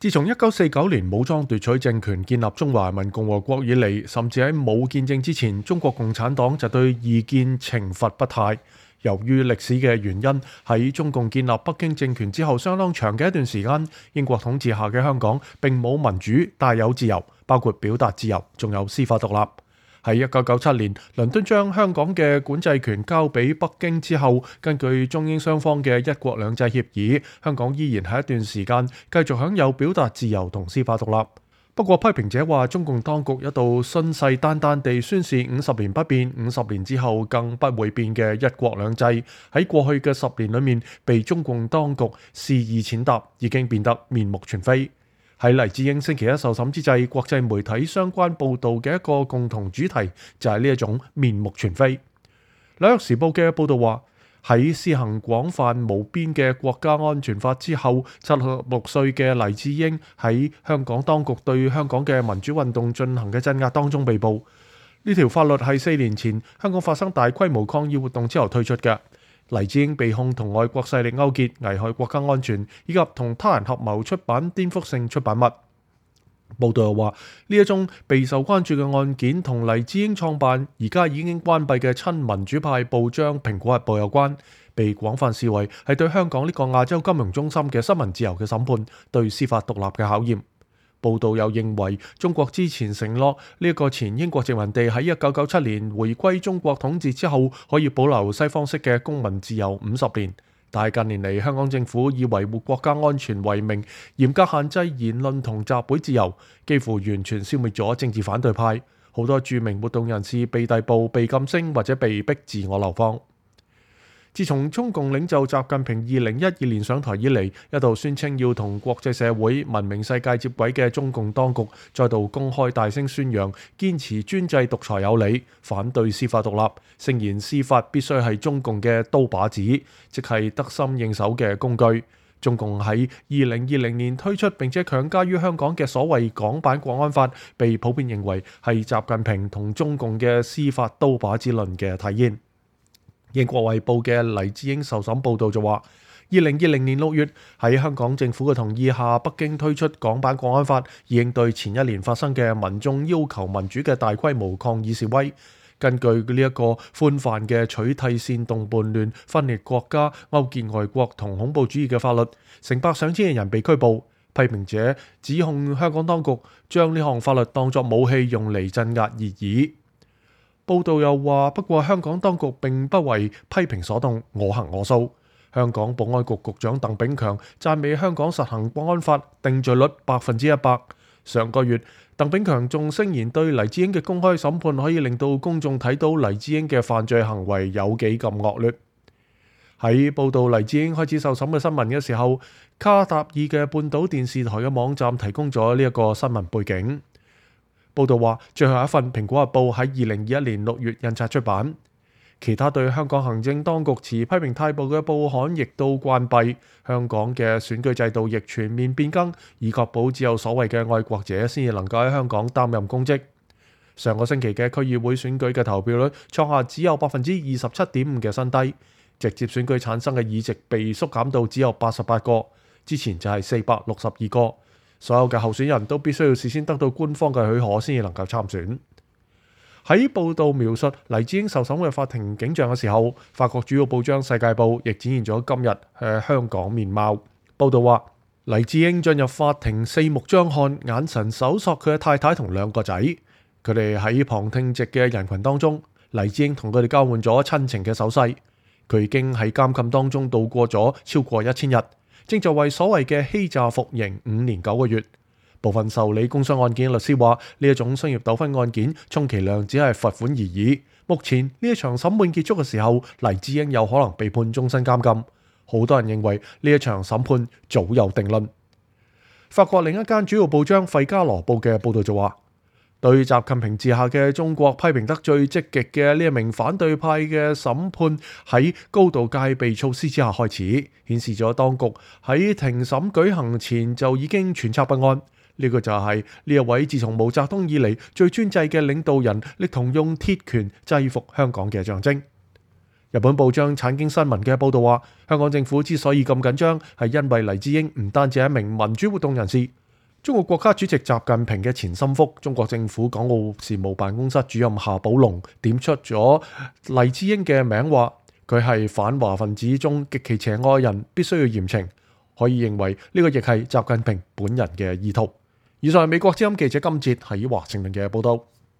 自從1949年武裝奪取政權、建立中華人民共和國以嚟，甚至喺冇建政之前，中國共產黨就對異見懲罰不貸。由於歷史嘅原因，喺中共建立北京政權之後，相當長嘅一段時間，英國統治下嘅香港並冇民主，但有自由，包括表達自由，仲有司法獨立。喺1997年，倫敦將香港嘅管制權交俾北京之後，根據中英雙方嘅一國兩制協議，香港依然喺一段時間繼續享有表達自由同司法獨立。不過批評者話，中共當局一度信誓旦旦地宣示50年不變，50年之後更不會變嘅一國兩制，喺過去嘅10年裏面被中共當局肆意踐踏，已經變得面目全非。喺黎智英星期一受審之際，國際媒體相關報導嘅一個共同主題就係呢一種面目全非。紐約時報嘅報導話，喺施行廣泛無邊嘅國家安全法之後，76歲嘅黎智英喺香港當局對香港嘅民主運動進行嘅鎮壓當中被捕。呢條法律係4年前香港發生大規模抗議活動之後推出嘅。黎智英被控同外國勢力勾結、危害國家安全，以及同他人合謀出版顛覆性出版物。報道又話，呢一宗備受關注嘅案件同黎智英創辦而家已經關閉嘅親民主派報章《蘋果日報》有關，被廣泛視為係對香港呢個亞洲金融中心嘅新聞自由嘅審判，對司法獨立嘅考驗。報道又認為，中國之前承諾呢一個前英國殖民地喺1997年回歸中國統治之後，可以保留西方式嘅公民自由50年。但係近年嚟，香港政府以維護國家安全為名，嚴格限制言論同集會自由，幾乎完全消滅咗政治反對派。好多著名活動人士被逮捕、被禁聲或者被逼自我流放。自從中共領袖習近平2012年上台以嚟，一度宣稱要同國際社會、文明世界接軌嘅中共當局，再度公開大聲宣揚堅持專制獨裁有理，反對司法獨立，聲言司法必須係中共嘅刀把子，即係得心應手嘅工具。中共喺2020年推出並且強加於香港嘅所謂港版國安法，被普遍認為係習近平同中共嘅司法刀把子論嘅體現。英國衛報嘅黎智英受審報導就話，2020年6月喺香港政府嘅同意下，北京推出港版國安法，以應對前一年發生嘅民眾要求民主嘅大規模抗議示威。根據呢一個寬泛嘅取締煽動叛亂、分裂國家、勾結外國同恐怖主義嘅法律，成百上千嘅人被拘捕。批評者指控香港當局將呢項法律當作武器用嚟鎮壓異議。報道又話，不過香港當局並不為批評所動，我行我素。香港保安局局長鄧炳強讚美香港實行國安法定罪率100%。上個月，鄧炳強仲聲言對黎智英嘅公開審判可以令到公眾睇到黎智英嘅犯罪行為有幾咁惡劣。喺報道黎智英開始受審嘅新聞嘅時候，卡塔爾嘅半島電視台嘅網站提供咗呢一個新聞背景。報道話，最後一份《蘋果日報》喺2021年6月印刷出版。其他對香港行政當局持批評態度嘅報刊亦都關閉。香港嘅選舉制度亦全面變更，以確保只有所謂嘅愛國者先至能夠喺香港擔任公職。上個星期嘅區議會選舉嘅投票率創下只有27.5%嘅新低，直接選舉產生嘅議席被縮減到只有88個，之前就係462個。所有嘅候選人都必須要事先得到官方嘅許可先至能夠參選。喺報道描述黎智英受審嘅法庭景象嘅時候，法國主要報章《世界報》亦展現咗今日香港面貌。報道話，黎智英進入法庭四目張看，眼神搜索佢嘅太太同2個仔。佢哋喺旁聽席嘅人群當中，黎智英同佢哋交換咗親情嘅手勢。佢已經喺監禁當中度過咗超過1000日。正在為所謂嘅欺詐服刑5年9個月。部分受理工商案件嘅律師話，呢一種商業糾紛案件充其量只係罰款而已。目前呢一場審判結束嘅時候，黎智英有可能被判終身監禁。好多人認為呢一場審判早有定論。法國另一間主要報章《費加羅報》嘅報導就話，對習近平治下嘅中國批評得最積極嘅呢一名反對派嘅審判喺高度戒備措施之下開始，顯示咗當局喺庭審舉行前就已經揣測不安。呢個就係呢一位自從毛澤東以嚟最專制嘅領導人，力圖用鐵拳制服香港嘅象徵。日本報章產經新聞嘅報導話，香港政府之所以咁緊張，係因為黎智英唔單止係一名民主活動人士，中國國家主席習近平嘅前心腹、中國政府港澳事務辦公室主任夏寶龍點出咗黎智英嘅名，話佢係反華分子中極其邪惡嘅人，必須要嚴懲。可以認為呢個亦係習近平本人嘅意圖。以上係美國之音記者金哲喺華盛頓嘅報道。